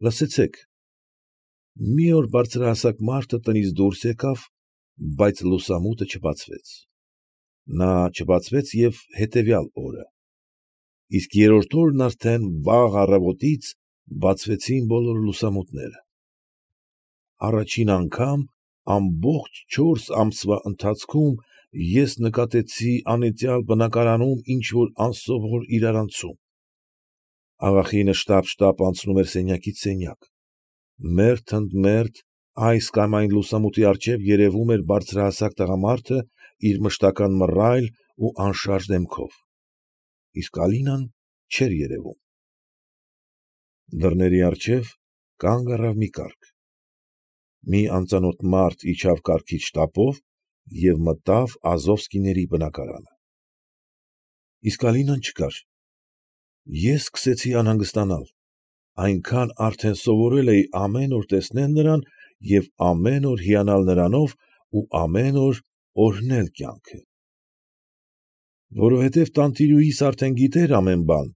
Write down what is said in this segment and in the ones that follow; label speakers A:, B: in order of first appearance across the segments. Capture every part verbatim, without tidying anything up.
A: Լսեցե՛ք։ Մի օր բարձրահասակ մարդը տնից դուրս եկավ, բայց լուսամուտը չբացվեց. նա չբացվեց և հետևյալ օրը, իսկ երրորդ օրն արդեն վաղ առավոտից բացվեցին բոլոր լուսամուտները։ Առաջին անգամ ամբողջ չորս ամսվա ընթացքում ես նկատեցի անիծյալ բնակարանում ինչ֊որ անսովոր իրարանցում. աղախինը շտապ֊շտապ անցնում էր սենյակից սենյակ. մերթ ընդ մերթ այս կամ այն լուսամուտի առջև երևում էր բարձրահասակ տղամարդը իր մշտական մռայլ ու անշարժ դեմքով, իսկ Ալինան չէր երևում։ Դռների առջև կանգ առավ մի կառք։ Մի անծանոթ մարդ իջավ կառքից շտապով և մտավ Ազովսկիների բնակարանը։ Իսկ Ալինան չկար։ Ես սկսեցի անհանգստանալ, այնքան արդեն սովորել էի ամեն օր տեսնել նրան և ամեն օր հիանալ նրանով ու ամեն օր օրհնել կյանքը։ Որովհետև տանտիրուհիս արդեն գիտեր ամեն բան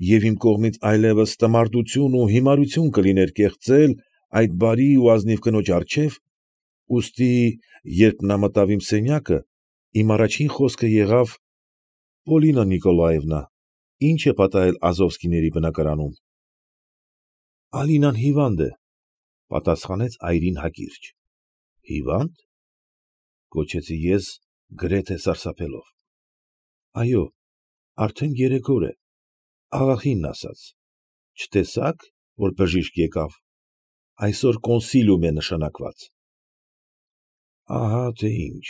A: և իմ կողմից այլևս տմարդություն ու հիմարություն կլիներ կեղծել այդ բարի ու ազնիվ կնոջ առջև, ուստի, երբ նա մտավ իմ սենյակը, իմ առաջին խոսքը եղավ. ֊ Պոլինա Նիկոլաևնա, ի՞նչ է պատահել Ազովսկիների բնակարանում։ ֊ Ալինան հիվանդ է, ֊ պատասխանեց այրին հակիրճ։ ֊ Հիվա՞նդ, ֊ գոչեցի ես գրեթե սարսափելով։ ֊ Այո, արդեն երեք օր է, աղախինն ասաց։ Չտեսա՞ք, որ բժիշկ եկավ, այսօր կոնսիլիում է նշանակված։ ֊ Ահա թե ինչ,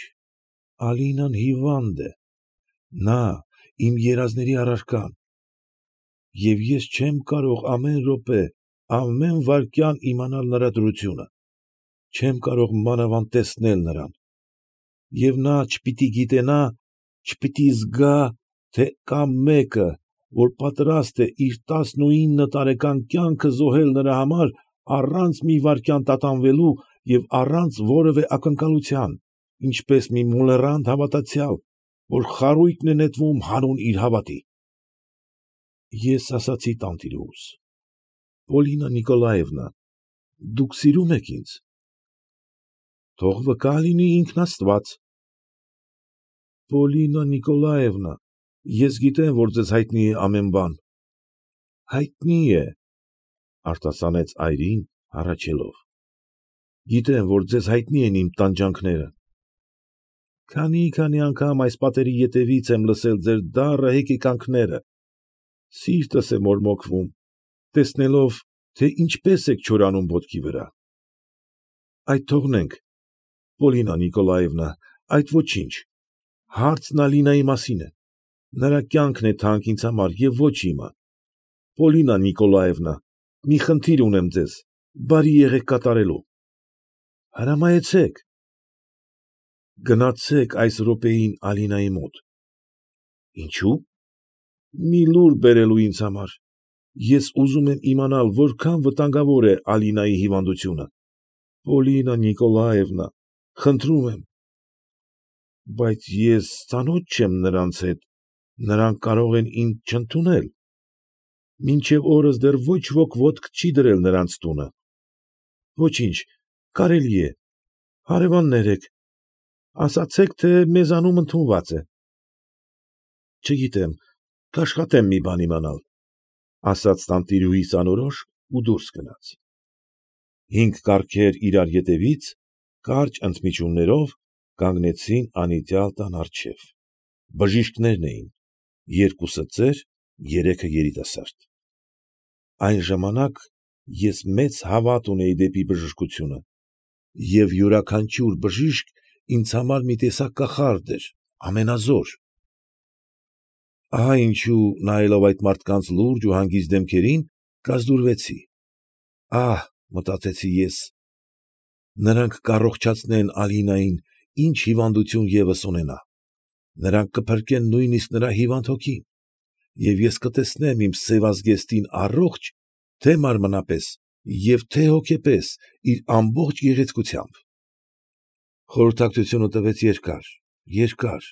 A: Ալինան հիվանդ է, նա իմ երազների առարկան, և ես չեմ կարող ամեն րոպե, ամեն վայրկյան իմանալ նրա դրությունը, չեմ կարող մանավանդ տեսնել նրան, և նա չպիտի գիտենա, չպիտի զգա, թե կա մեկը, որ պատրաստ է իր տասնուինը տարեկան կյանքը զոհել նրա համար առանց մի վայրկյան տատանվելու և առանց որևէ ակնկալության, ինչպես մի մոլեռանդ հավատացյալ, որ խարույկն է նետվում հանուն իր հավատի։ Ես ասացի տանտիրուհուս. Պոլինա Նիկոլաևնա, դուք սիրո՞ւմ եք ինձ։ ֊ Թող վկա լինի ինքն աստված։ ֊ Պոլինա Նիկոլաևնա, ես գիտեմ, որ ձեզ հայտնի է ամեն բան։ ֊ Հայտնի է, ֊ արտասանեց այրին, հառաչելով։ ֊ Գիտեմ, որ ձեզ հայտնի են իմ տանջանքները։ Քանի՛֊քանի անգամ այս պատերի ետևից եմ լսել ձեր դառը հեկեկանքները, սիրտս է մորմոքվում, տեսնելով, թե ինչպես եք չորանում ոտքի վրա։ Այդ թողնենք, Պոլինա Նիկոլաևնա, այդ ոչինչ, հարցն Ալինայի մասին է, նրա կյանքն է թանկ ինձ համար և ոչ իմը։ Պոլինա Նիկոլաևնա, մի խնդիր ունեմ ձեզ, բարի եղեք կատարելու։ ֊ Հրամայեցե՛ք։ ֊ Գնացեք այս րոպեին Ալինայի մոտ։ ֊ Ինչո՞ւ։ ֊ Մի լուր բերելու ինձ համար, ես ուզում եմ իմանալ որքան վտանգավոր է Ալինայի հիվանդությունը։ ֊ Պոլինա Նիկոլաևնա, խնդրում եմ։ ֊ Բայց ես ծանոթ չեմ նրանց հետ, նրանք կարող են ինձ չընդունել։ Մինչև օրս դեռ ոչ ոք ոտք չի դրել նրանց տունը։ ֊ Ոչինչ, կարելի է, հարևաններ եք, ասացեք, թե մեզանում ընդունված է։ ֊ Չգիտեմ, կաշխատեմ մի բան իմանալ, ֊ ասաց տանտիրուհիս անորոշ ու դուրս գնաց։ Հինգ կառքեր իրար ետևից, կարճ ընդմիջումներով կանգնեցին անիծյալ տան առջև։ Բժիշկներն էին, երկուսը ծեր, երեքը երիտասարդ։ Այն ժամանակ ես մեծ հավատ ունեի դեպի բժշկությունը, և յուրաքանչյուր բժիշկ ինձ համար մի տեսակ կախարդ էր, ամենազոր։ Ահա ինչու, նայելով այդ մարդկանց լուրջ ու հանգիստ դեմքերին, կազդուրվեցի։ Ահ, մտածեցի ես, նրանք կառողջացնեն Ալինային, ինչ հիվանդություն ևս ունենա, նրանք կփրկեն նույնիսկ նրա հիվանդ հոգին, և ես կտեսնեմ իմ սևազգեստին առողջ թե՛ մարմնապես և թե՛ հոգեպես իր ամբողջ գեղեցկությամբ։ Խորհրդակցությունը տևեց երկար, երկար,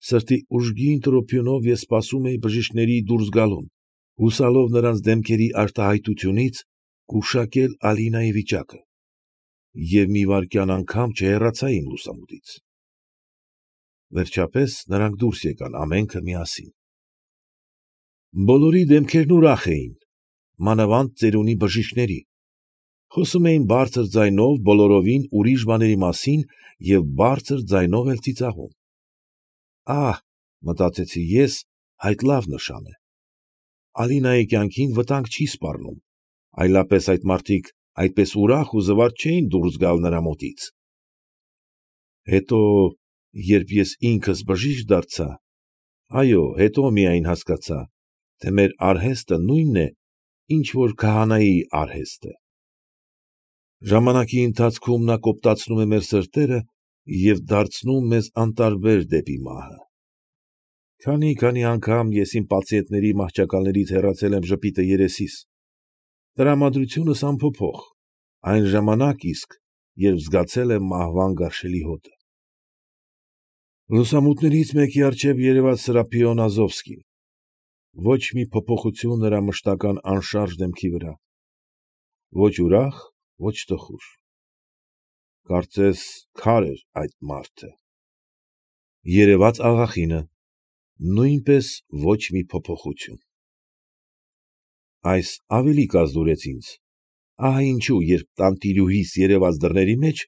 A: սրտի ուժգին տրոփյունով ես սպասում էի բժիշկների դուրս գալուն, հուսալով նրանց դեմքերի արտահայտությունից Գուշակել Ալինայի վիճակը և մի վայրկյան անգամ չհեռացա իմ լուսամուտից։ Վերջապես նրանք դուրս եկան ամենքը միասին։ Բոլորի դեմքերն ուրախ էին, մանավանդ ծերունի բժիշկների, խոսում էին բարձր ձայնով բոլորովին ուրիշ բաների մասին և բարձր ձայնով էլ ծիծաղում։ Ահ, մտածեցի ես, այդ լավ նշան է։ Ալինայի կյանքին վտանգ չի սպառնում, այլապես այդ մարդիկ այդպես ուրախ ու զվարթ չէին դուրս գալ նրա մոտից։ Հետո, երբ ես ինքս բժիշկ դարձա, այո, հետո միայն հասկացա, թե մեր արհեստը նույնն է, ինչ որ քահանայի արհեստը։ Ժամանակի ընթացքում նա կոպտացնում է մեր սրտերը և դարձնում մեզ անտարբեր դեպի մահը։ Քանի՛֊քանի անգամ ես իմ պացիենտների մահճակալներից հեռացել եմ ժպիտը երեսիս, տրամադրությունս անփոփոխ, այն ժամանակ իսկ, երբ զգացել եմ մահվան գարշելի հոտը։ Լուսամուտներից մեկի առջև երևաց Սրափիոն Ազովսկին, ոչ մի փոփոխություն նրա մշտական անշարժ դեմքի վրա, ոչ ուրախ, ոչ տխուր։ Կարծես քար էր այդ մարդը։ Երևաց աղախինը, նույնպես ոչ մի փոփոխություն։ Այս ավելի կազդուրեց ինձ, ահա ինչու, երբ տանտիրուհիս երևաց դռների մեջ,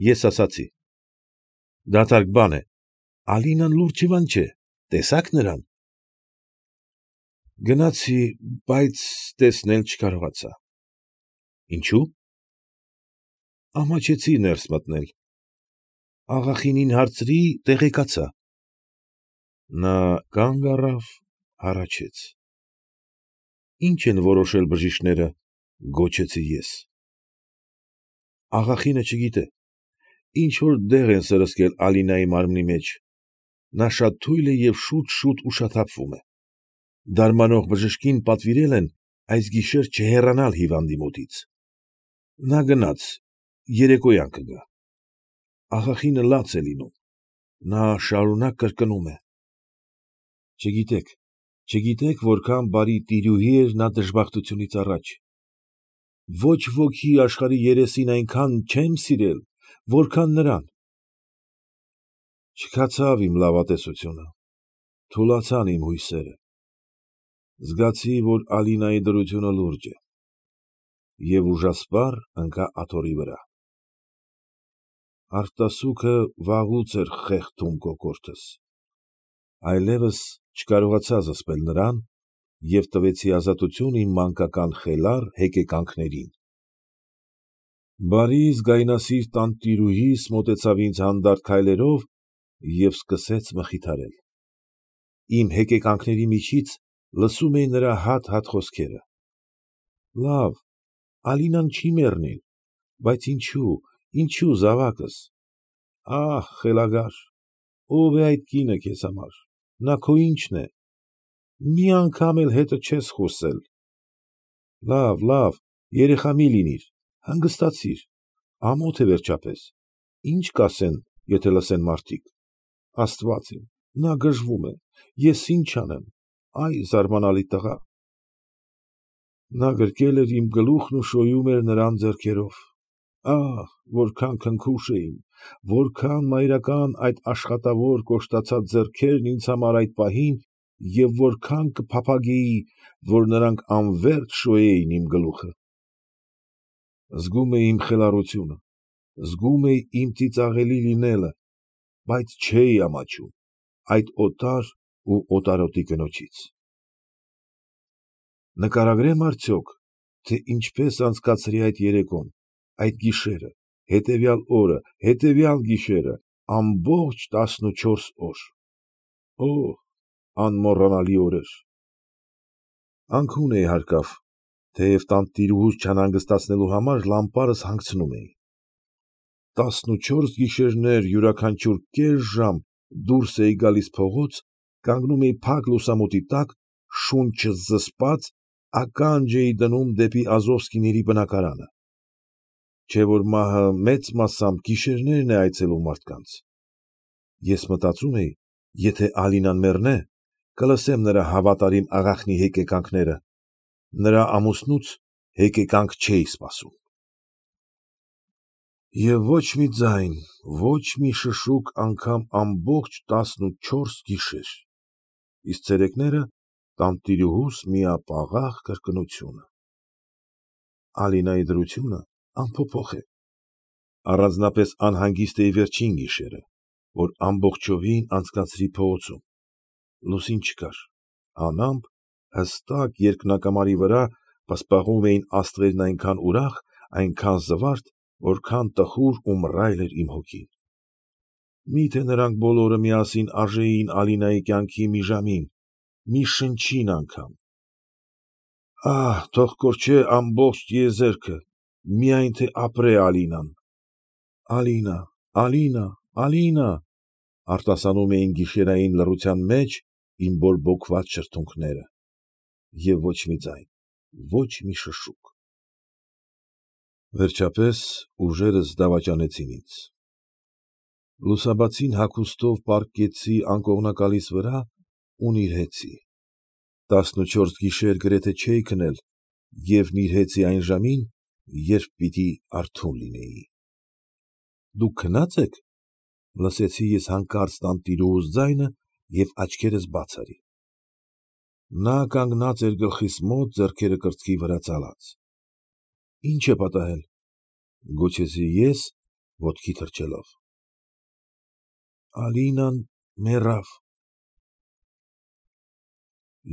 A: ես ասացի. ֊ Դատարկ բան է, Ալինան լուրջ հիվանդ չէ, տեսա՞ք նրան։ Գնացի, բայց տեսնել չկարողացա։ ֊ Ինչո՞ւ։ Ամաչեցի ներս մտնել։ Աղախինին հարցրի, տեղեկացա։ Նա կանգ առավ, հառաչեց։ ֊ Ի՞նչ են որոշել բժիշկները, ֊ գոչեցի ես։ Աղախինը չգիտե, ինչ֊որ դեղ են սրսկել Ալինայի մարմնի մեջ, նա շատ թույլ է և շուտ֊շուտ ուշաթափվում է։ Դարմանող բժշկին պատվիրել են այս գիշեր չհեռանալ հիվանդի մոտից։ Նա գնաց, երեկոյան կգա։ Աղախինը լաց է լինում, նա շարունակ կրկնում է։ Չգիտեք, չգիտեք որքան բարի տիրուհի էր նա դժբախտությունից առաջ։ Ոչ ոքի աշխարհի երեսին այնքան չեմ սիրել, որքան նրան։ Չքացավ իմ լավատեսությունը, թուլացան իմ հույսերը։ Զգացի, որ Ալինայի դրությունը լուրջ է, և ուժասպառ ընկա աթոռի վրա։ Արտասուքը վաղուց էր խեղդում կոկորդս, այլևս չկարողացա զսպել նրան և տվեցի ազատություն իմ մանկական խելառ հեկեկանքներին։ Բարի, զգայնասիրտ տանտիրուհիս մոտեցավ ինձ հանդարտ քայլերով և սկսեց մխիթարել։ Իմ հեկեկանքների միջից լսում էի նրա հատ֊հատ խոսքերը. Լավ, Ալինան չի մեռնիլ, բայց ինչո՞ւ, ինչո՞ւ, զավակս։ Ա՛հ, խելագար, ո՞վ է այդ կինը քեզ համար, նա քո ի՞նչն է, մի անգամ էլ հետը չես խոսել։ Լավ, լավ, երեխա մի լինիր, հանգստացիր, ամոթ է վերջապես, ի՞նչ կասեն, եթե լսեն մարդիկ։ Աստված իմ, նա գժվում է, ես ի՞նչ անեմ, ա՛յ զարմանալի տղա։ Նա գրկել էր իմ գլուխն ու շոյում էր նրան ձեռքերով։ Ա՛հ, որքան քնքուշ էին, որքան մայրական այդ աշխատավոր կոշտացած ձեռքերն ինձ համար այդ պահին և որքան կփափագեի, որ նրանք անվերջ շոյեին իմ գլուխը։ Զգում էի իմ խելառությունը, զգում էի իմ ծիծաղելի լինելը, բայց չէի ամաչում այդ օտար ու օտարոտի կնոջից։ Նկարագրե՞մ արդյոք, թե ինչպես անցկացրի այդ երեկոն, այդ գիշերը, հետևյալ օրը, հետևյալ գիշերը, ամբողջ տասնուչորս օր։ Օհ, անմոռանալի օրեր։ Անքուն էի հարկավ, թեև տանտիրուհուս չանհանգստացնելու համար լամպարս հանգցնում էի։ Տասնուչորս գիշերներ յուրաքանչյուր կես ժամ դուրս էի գալիս փողոց, կանգնում էի փակ լուսամուտի տակ, շունչս զսպած, ականջ էի դնում դեպի Ազովսկիների բնակարանը։ Չէ՞ որ մահը մեծ մասամբ գիշերներն է այցելում մարդկանց։ Ես մտածում էի, եթե Ալինան մեռնե, կլսեմ նրա հավատարիմ աղախնի հեկեկանքները, նրա ամուսնուց հեկեկանք չէի սպասում։ Եվ ոչ մի ձայն, ոչ մի շշուկ անգամ ամբողջ տասնուչորս գիշեր, իսկ ցերեկները տանտիրուհուս միապաղաղ կրկնությունը. Ալինայի դրությունը անփոփոխ է, առանձնապես անհանգիստ էի վերջին գիշերը, որ ամբողջովին անցկացրի փողոցում, լուսին չկար, անամպ, հստակ երկնակամարի վրա պսպղում էին աստղերն այնքան ուրախ, այնքան զվարթ, որքան տխուր ու մռայլ էր իմ հոգին։ Մի՞թե նրանք բոլորը միասին արժեին Ալինայի կյանքի մի ժամին, մի շնչին անգամ։ Ահ, թող կորչե ամբողջ տիեզերքը, միայն թե ապրե Ալինան։ Ալինա, Ալինա, Ալինա, արտասանում էին գիշերային լռության մեջ իմ բորբոքված շրթունքները, և ոչ մի ձայն, ոչ մի շշուկ։ Վերջապես ուժերս դավաճանեցին ինձ։ Լուսաբացին հագուստով պառկեցի անկողնակալիս վրա ու նիրհեցի։ Տասնուչորս գիշեր գրեթե չէի քնել և նիրհեցի այն ժամին, երբ պիտի արթուն լինեի։ ֊ Դուք քնա՞ծ եք, ֊ լսեցի ես հանկարծ տանտիրուհուս ձայնը և աչքերս բաց արի։ Նա կանգնած էր գլխիս մոտ, ձեռքերը կրծքի վրա ծալած։ ֊ Ի՞նչ է պատահել, ֊ գոչեցի ես, ոտքի թռչելով։ ֊ Ալինան մեռավ։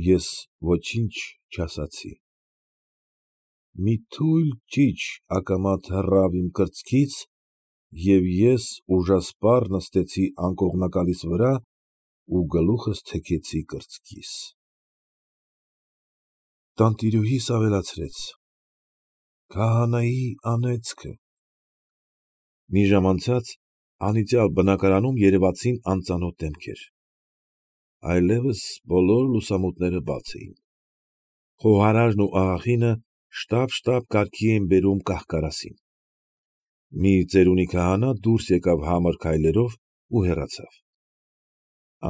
A: Ես ոչինչ չասացի։ Մի թույլ ճիչ ակամա թռավ իմ կրծքից, և ես ուժասպառ նստեցի անկողնակալիս վրա ու գլուխս թեքեցի կրծքիս։ Տանտիրուհիս ավելացրեց. ֊ Քահանայի անեծքը… Մի ժամ անցած անիծյալ բնակարանում երևացին անծանոթ դեմքեր։ Այլևս բոլոր լուսամուտները բաց էին։ Խոհարարն ու աղախինը շտապ֊շտապ կարգի էին բերում կահ֊կարասին։ Մի ծերունի քահանա դուրս եկավ համր քայլերով ու հեռացավ։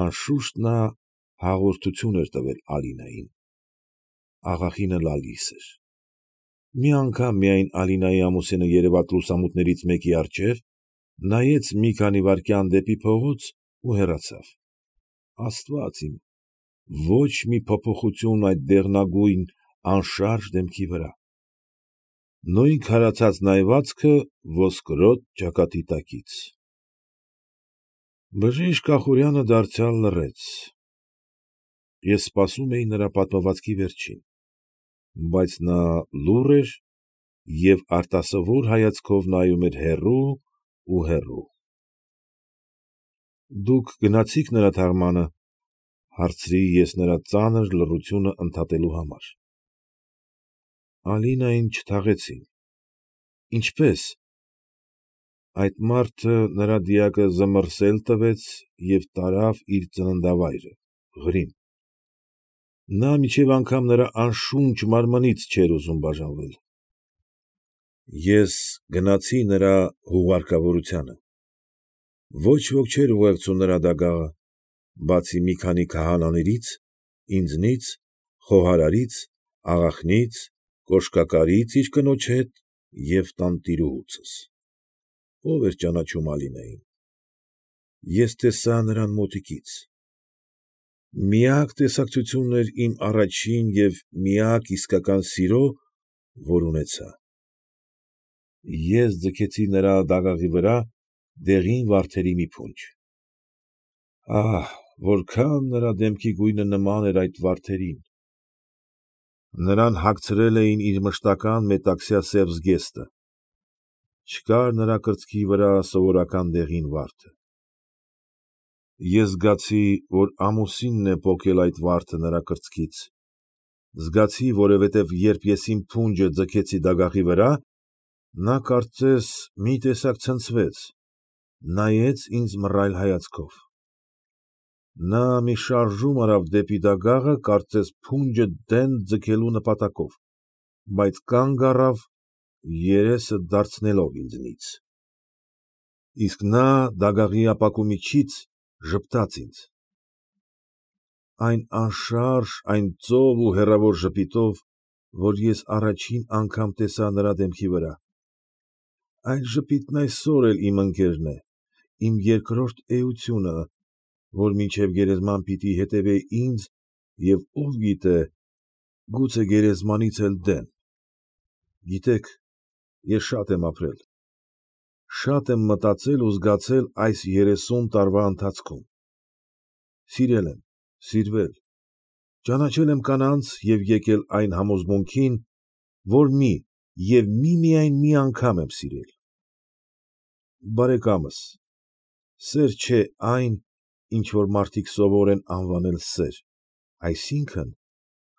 A: Անշուշտ նա հաղորդություն էր տվել Ալինային։ Աղախինը լալիս էր։ Մի անգամ միայն Ալինայի ամուսինը երևաց լուսամուտներից մեկի առջև, նայեց մի քանի վայրկյան դեպի փողոց ու հեռացավ։ Աստվա՛ծ իմ, ոչ մի փոփոխություն այդ դեղնագույն, անշարժ դեմքի վրա։ Նույն քարացած նայվածքը ոսկրոտ ճակատի տակից։ Բժիշկ Ախուրյանը դարձյալ լռեց։ Ես սպասում էի նրա պատմվածքի վերջին, բայց նա լուռ էր և արտասովոր հայացքով նայում էր հեռու ու հեռու։ ֊ Դուք գնացի՞ք նրա թաղմանը, ֊ հարցրի ես նրա ծանր լռությունը ընդհատելու համար։ ֊ Ալինային չթաղեցին։ ֊ Ինչպե՞ս։ ֊ Այդ մարդը նրա դիակը զմռսել տվեց և տարավ իր ծննդավայրը, Ղրիմ։ Նա մինչև անգամ նրա անշունչ մարմնից չէր ուզում բաժանվել։ Ես գնացի նրա հուղարկավորությանը։ Ոչ ոք չէր ուղեկցում նրա դագաղը, բացի մի քանի քահանաներից, ինձնից, խոհարարից, աղախնից, կոշկակարից իր կնոջ հետ և տանտիրուհուցուս։ Ո՞վ էր ճանաչում Ալինային։ Ես տեսա նրան մոտիկից։ Միակ տեսակցությունն էր իմ առաջին և միակ իսկական սիրո, որ ունեցա։ Ես ձգեցի նրա դագաղի վրա դեղին վարդերի մի փունջ։ Ահ, որքան նրա դեմքի գույնը նման էր այդ վարդերին։ Նրան հագցրել էին իր մշտական մետաքսյա սև զգեստը։ Չկար նրա կրծքի վրա սովորական դեղին վարդը։ Ես զգացի, որ ամուսինն է պոկել այդ վարդը նրա կրծքից։ Զգացի, որովհետև երբ ես իմ փունջը ձգեցի դագաղի վրա, նա կարծես մի տեսակ ցնցվեց, նայեց ինձ մռայլ հայացքով։ Նա մի շարժում արավ դեպի դագաղը, կարծես փունջը դեն ձգելու նպատակով, բայց կանգ առավ, երեսը դարձնելով ինձնից։ Իսկ նա դագաղի ապակու միջից ժպտաց ինձ։ Այն անշարժ, այն ծով ու հեռավոր ժպիտով, որ ես առաջին անգամ տեսա նրա դեմքի վրա, այդ ժպիտն այսօր էլ իմ ընկերն է, իմ երկրորդ էությունը, որ մինչև գերեզման պիտի հետևե ինձ և ով գիտե, գուցե գերեզմանից էլ դեն։ Գիտեք, ես շատ եմ ապրել, շատ եմ մտածել ու զգացել այս երեսուն տարվա ընթացքում, սիրել եմ, սիրվել, ճանաչել եմ կանանց և եկել այն համոզմունքին, որ մի և միմիայն մի անգամ եմ սիրել։ Բարեկամս, սեր չէ այն, ինչ որ մարդիկ սովոր են անվանել սեր, այսինքն՝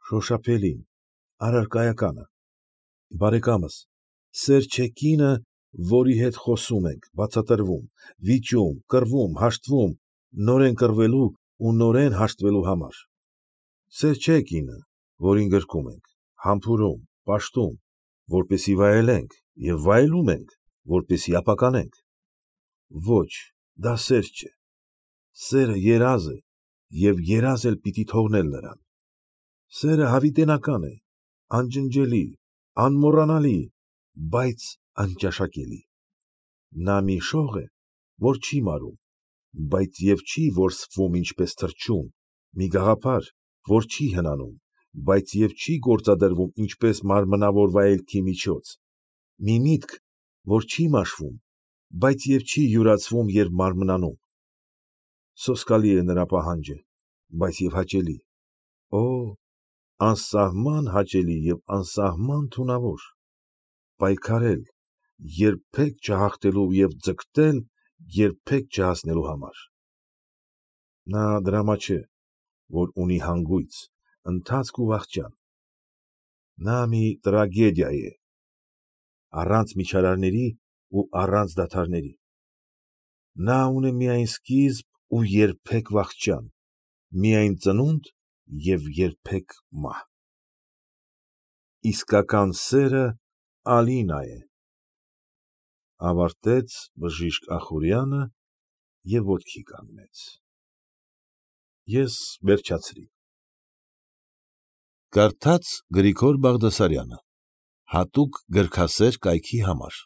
A: շոշափելին, առարկայականը։ Բարեկամս, սեր չէ կինը, որի հետ խոսում ենք, բացատրվում, վիճում, կռվում, հաշտվում, նորեն կռվելու ու նորեն հաշտվելու համար։ Սեր չէ կինը, որին գրկում ենք, համբուրում, պաշտում, որպեսզի վայելենք և վայելում ենք, որպեսզի ապականենք։ Ոչ, դա սեր չէ, սերը երազ է և երազ էլ պիտի թողնել նրան։ Սերը հավիտենական է, անջնջելի, անմոռանալի, բայց անճաշակելի։ Նա մի շող է, որ չի մարում, բայց և չի որսվում ինչպես թռչուն, մի գաղափար, որ չի հնանում, բայց և չի գործադրվում ինչպես մարմնավոր վայելքի միջոց, մի միտք, որ չի մաշվում, բայց և չի յուրացվում և մարմնանում։ Սոսկալի է նրա պահանջը, բայց և հաճելի, օ՜, անսահման հաճելի և անսահման թունավոր, պայքարել, երբեք չհաղթելու և ձգտել երբեք չհասնելու համար։ Նա դրամա չէ, որ ունի հանգույց, ընթացք ու վախճան։ Նա մի տրագեդիա է, առանց միջարարների ու առանց դադարների։ Նա ունե միայն սկիզբ ու երբեք վախճան, միայն ծնունդ և երբեք մահ։ Իսկական սերը Ալինա է, ֊ ավարտեց բժիշկ Ախուրյանը և ոտքի կանգնեց։ Ես վերջացրի։ Կարդաց Գրիգոր Բաղդասարյանը, հատուկ գրքասեր կայքի համար։